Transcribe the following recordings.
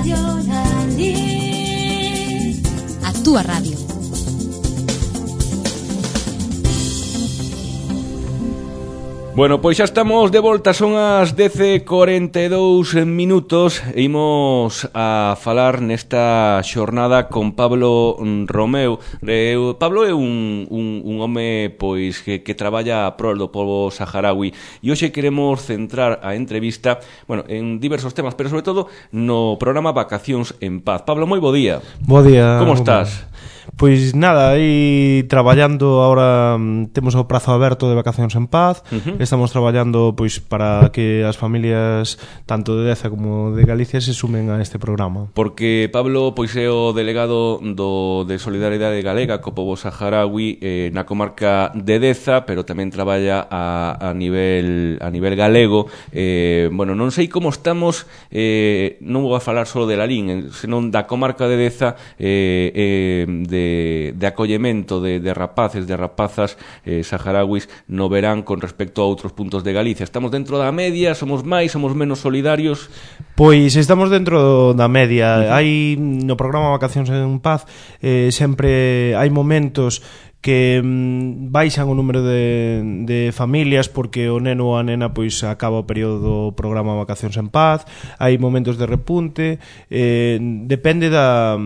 A túa radio. Bueno, pois xa estamos de volta, son as 10:42 minutos e imos a falar nesta xornada con Pablo Romeu. Pablo é un home pois que traballa a prol do pobo saharaui e hoxe queremos centrar a entrevista, bueno, en diversos temas, pero sobre todo no programa Vacacións en Paz. Pablo, moi bo día. Bo día. Como estás? Pois nada, aí traballando agora, temos o prazo aberto de Vacacións en Paz. Estamos traballando pois para que as familias tanto de Deza como de Galicia se sumen a este programa. Porque Pablo pois é o delegado de Solidaridade Galega co pobo saharaui na comarca de Deza, pero tamén traballa a nivel galego. Bueno, non sei como estamos, non vou a falar só de Lalín, senón da comarca de Deza, de acollemento de rapaces, de rapazas saharauis no verán con respecto a outros puntos de Galicia. Estamos dentro da media, somos máis, somos menos solidarios? Pois estamos dentro da media. Hai no programa Vacacións en Paz sempre hai momentos que baixan o número de familias porque o neno ou a nena pois acaba o período do programa Vacacións en Paz. Hai momentos de repunte, depende da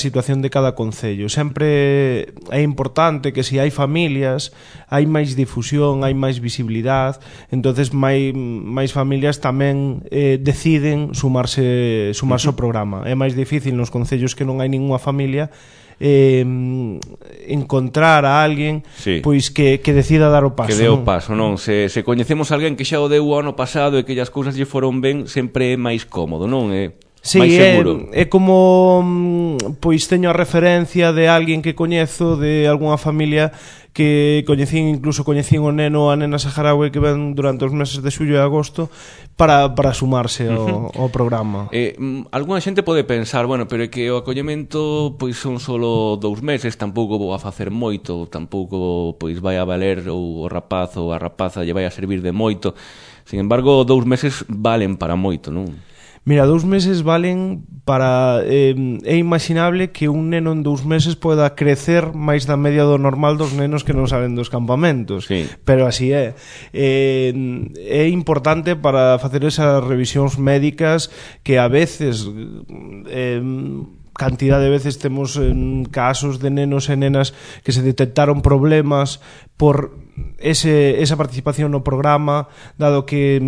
situación de cada concello. Sempre é importante que se hai familias, hai máis difusión, hai máis visibilidade, entonces máis familias tamén deciden sumarse ao programa. É máis difícil nos concellos que non hai ninguna familia encontrar a alguén, sí, pois que decida dar o paso. Que dé o paso, non? Se coñecemos alguén que xa o deu o ano pasado e que as cousas lle foron ben, sempre é máis cómodo, non? Sí, é como pois teño a referencia de alguén que coñezo de algunha familia que coñecín o neno ou a nena saharaui que ven durante os meses de xullo e agosto para sumarse ao programa. Alguna xente pode pensar, bueno, pero é que o acollemento pois son solo 2 meses, tampouco vou a facer moito, tampouco pois vai a valer ou o rapaz ou a rapaza lle vai a servir de moito. Sin embargo, 2 meses valen para moito, non? Mira, 2 meses valen para... é imaginable que un neno en 2 meses poda crecer máis da media do normal dos nenos que non salen dos campamentos. Sí. Pero así é. É importante para facer esas revisións médicas que a veces... cantidad de veces temos casos de nenos e nenas que se detectaron problemas por esa participación no programa, dado que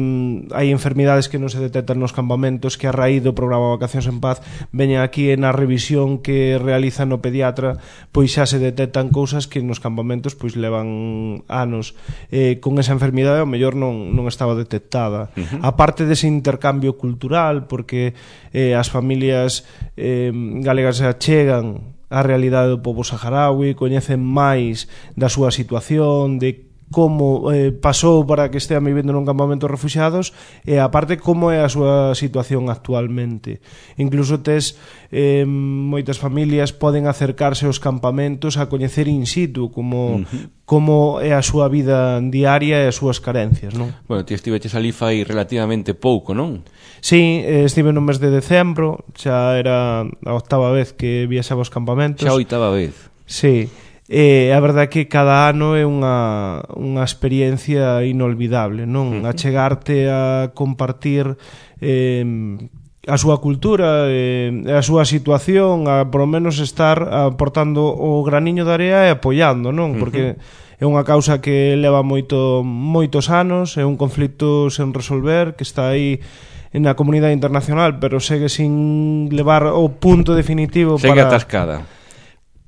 hai enfermidades que non se detectan nos campamentos, que a raíz do programa Vacacións en Paz veña aquí na revisión que realiza no pediatra, pois xa se detectan cousas que nos campamentos pois levan anos con esa enfermidade, ao mellor non estaba detectada. A parte dese intercambio cultural, porque as familias galegas se achegan a realidade do pobo saharaui, coñecen máis da súa situación, de como pasou para que estean vivendo nun campamento de refuxiados e aparte como é a súa situación actualmente. Incluso moitas familias poden acercarse aos campamentos a coñecer in situ como é a súa vida diaria e as súas carencias, non? Bueno, ti estiveches ali fai relativamente pouco, non? Sí, estive no mes de decembro, xa era a 8ª vez que viaxaba aos campamentos. Xa a 8ª vez? Sí. A verdade é que cada ano é unha experiencia inolvidable, non? A chegarte a compartir a súa cultura, a súa situación, a por lo menos estar aportando o graniño de area e apoiando, non? Porque é unha causa que leva moitos anos, é un conflito sen resolver, que está aí na comunidade internacional, pero segue sin levar o punto definitivo segue atascada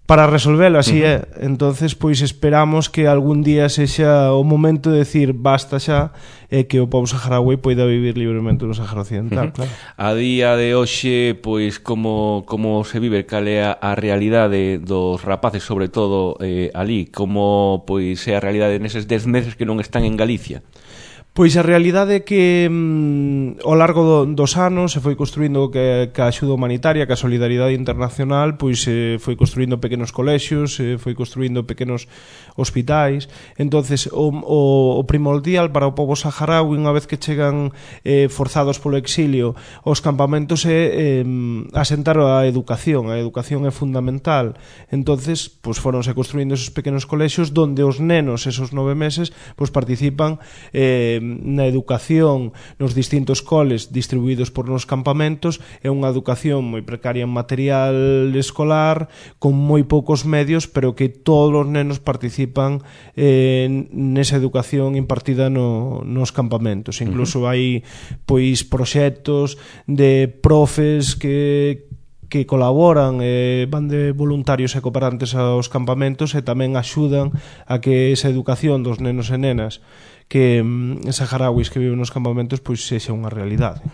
para resolvelo, así é. Entonces, pois esperamos que algún día sexa o momento de decir basta xa e que o pobo saharaui poida vivir libremente no Sahara Occidental, claro. A día de hoxe, pois como se vive, cal é a realidade dos rapaces, sobre todo ali, como pois é a realidade neses 10 meses que non están en Galicia? Pois a realidade é que ao largo dos anos se foi construindo que a axuda humanitaria, que a solidaridade internacional, pois foi construindo pequenos colexios, foi construindo pequenos hospitais. Entonces o primordial para o pobo saharaui, unha vez que chegan forzados polo exilio aos campamentos, é asentar a educación. A educación é fundamental. Entonces pois foronse construindo esos pequenos colexios donde os nenos esos 9 meses pois participan na educación nos distintos coles distribuídos por nos campamentos. É unha educación moi precaria en material escolar, con moi poucos medios, pero que todos os nenos participan nesa educación impartida nos campamentos. Incluso hai pois proxectos de profes que colaboran, van de voluntarios e cooperantes aos campamentos e tamén axudan a que esa educación dos nenos e nenas que saharauis que viven nos campamentos pois sexa unha realidade.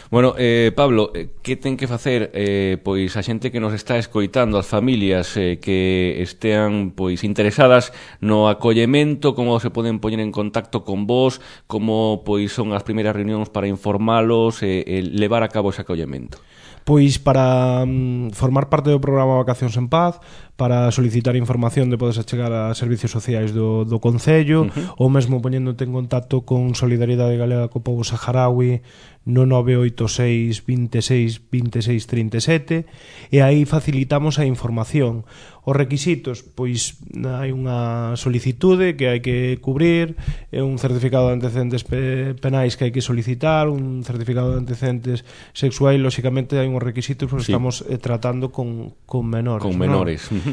Bueno, Pablo, que ten que facer pois a xente que nos está escoitando, as familias que estean pois interesadas no acollemento, como se poden poñer en contacto con vos, como pois son as primeiras reunións para informalos e levar a cabo ese acollemento? Pois para formar parte do programa Vacacións en Paz, para solicitar información de podes achegar a servicios sociais do Concello, ou mesmo poñéndote en contacto con Solidaridade Galega co pobo saharaui no 986 26 26 37, e aí facilitamos a información. Os requisitos, pois hai unha solicitude que hai que cubrir, un certificado de antecedentes penais que hai que solicitar, un certificado de antecedentes sexuais. Lóxicamente hai uns requisitos porque estamos tratando con menores. Con menores, ¿no?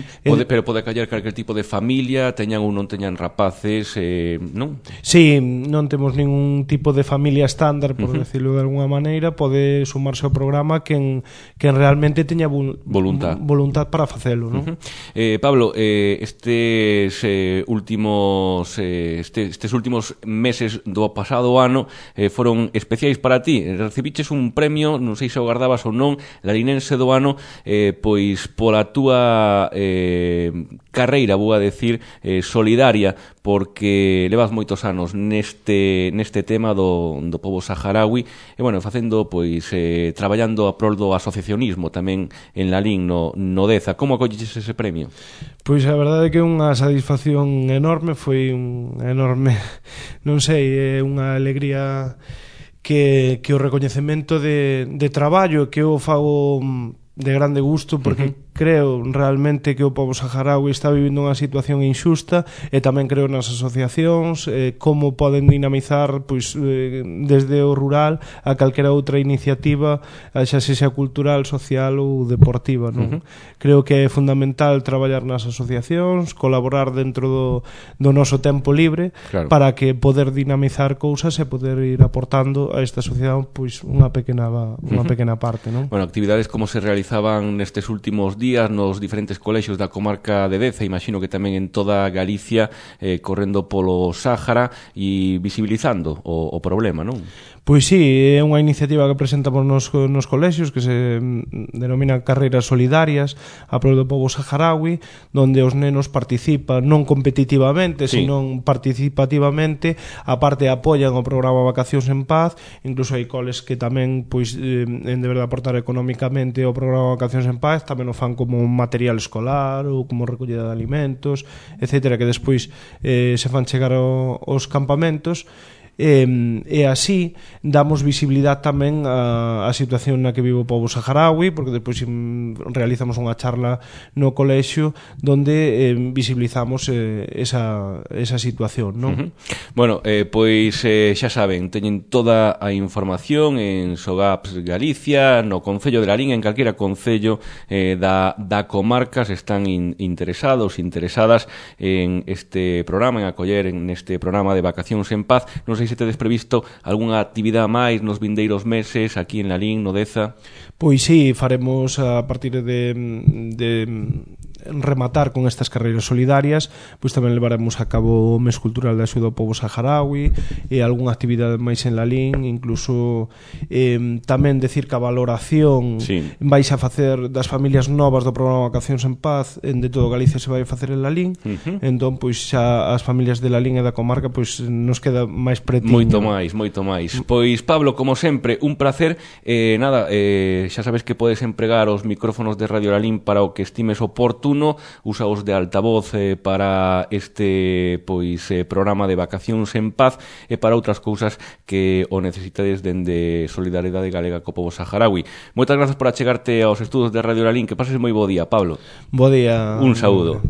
Pero pode callar calquer tipo de familia, teñan ou non teñan rapaces, non? Sí, non temos ningún tipo de familia estándar, por decirlo de alguna maneira. Pode sumarse ao programa quen realmente teña voluntad para facelo, non? Pablo, estes últimos meses do pasado ano foron especiais para ti. Recibiches un premio, non sei se o gardabas ou non, larinense do ano, pois pola túa carreira, vou a decir, solidaria, porque levas moitos anos neste tema do pobo saharaui e, bueno, facendo, pois, traballando a prol do asociacionismo tamén en Lalín, no Deza. Como acolliches ese premio? Pois a verdade é que é unha satisfacción enorme, foi un enorme, non sei, unha alegría que o recoñecemento de traballo que eu fago de grande gusto, porque creo realmente que o pobo saharaui está vivindo unha situación injusta, e tamén creo nas asociacións, como poden dinamizar pois desde o rural a calquera outra iniciativa, xa sexa cultural, social ou deportiva, non? Creo que é fundamental traballar nas asociacións, colaborar dentro do noso tempo libre, claro, para que poder dinamizar cousas e poder ir aportando a esta sociedade pois unha pequena parte, non? Bueno, actividades como se realizaban nestes últimos días nos diferentes colexios da comarca de Deza, imagino que tamén en toda Galicia, correndo polo Sáhara e visibilizando o problema, non? Pois sí, é unha iniciativa que presentamos nos colexios que se denomina Carreiras Solidarias a prol do pobo saharaui, donde os nenos participan non competitivamente, senón participativamente, a parte apoian o programa Vacacións en Paz. Incluso hai coles que tamén pois en deber de aportar económicamente o programa Vacacións en Paz, tamén o fan como un material escolar ou como recollida de alimentos, etcétera, que despois se fan chegar aos campamentos. E así damos visibilidade tamén a situación na que vive o pobo saharaui, porque despois realizamos unha charla no colexio donde visibilizamos esa situación, non? Bueno, pois xa saben, teñen toda a información en Sogaps Galicia, no Concello de Lalín, en calquera concello da comarca, se están interesadas en este programa, en acoller en este programa de Vacacións en Paz. Non sei se tedes previsto algunha actividade máis nos vindeiros meses aquí en Lalín, no Deza? Pois sí, faremos a partir de rematar con estas carreiras solidarias, pois tamén levaremos a cabo o mes cultural de axuda ao pobo saharaui e algunha actividade máis en Lalín, incluso tamén decir que a valoración vais a facer das familias novas do programa Vacacións en Paz de todo Galicia se vai a facer en Lalín. Entón, pois xa as familias de Lalín e da comarca pois nos queda máis pretiño. Moito máis. Pois Pablo, como sempre, un placer. Xa sabes que podes empregar os micrófonos de Radio Lalín para o que estimes oportuno, usaos de altavoz para este programa de Vacacións en Paz e para outras cousas que o necesitades dende Solidariedade Galega co pobo saharaui. Moitas grazas por achegarte aos estudos de Radio Lalín. Que pases moi bo día, Pablo. Bo día. Un saúdo.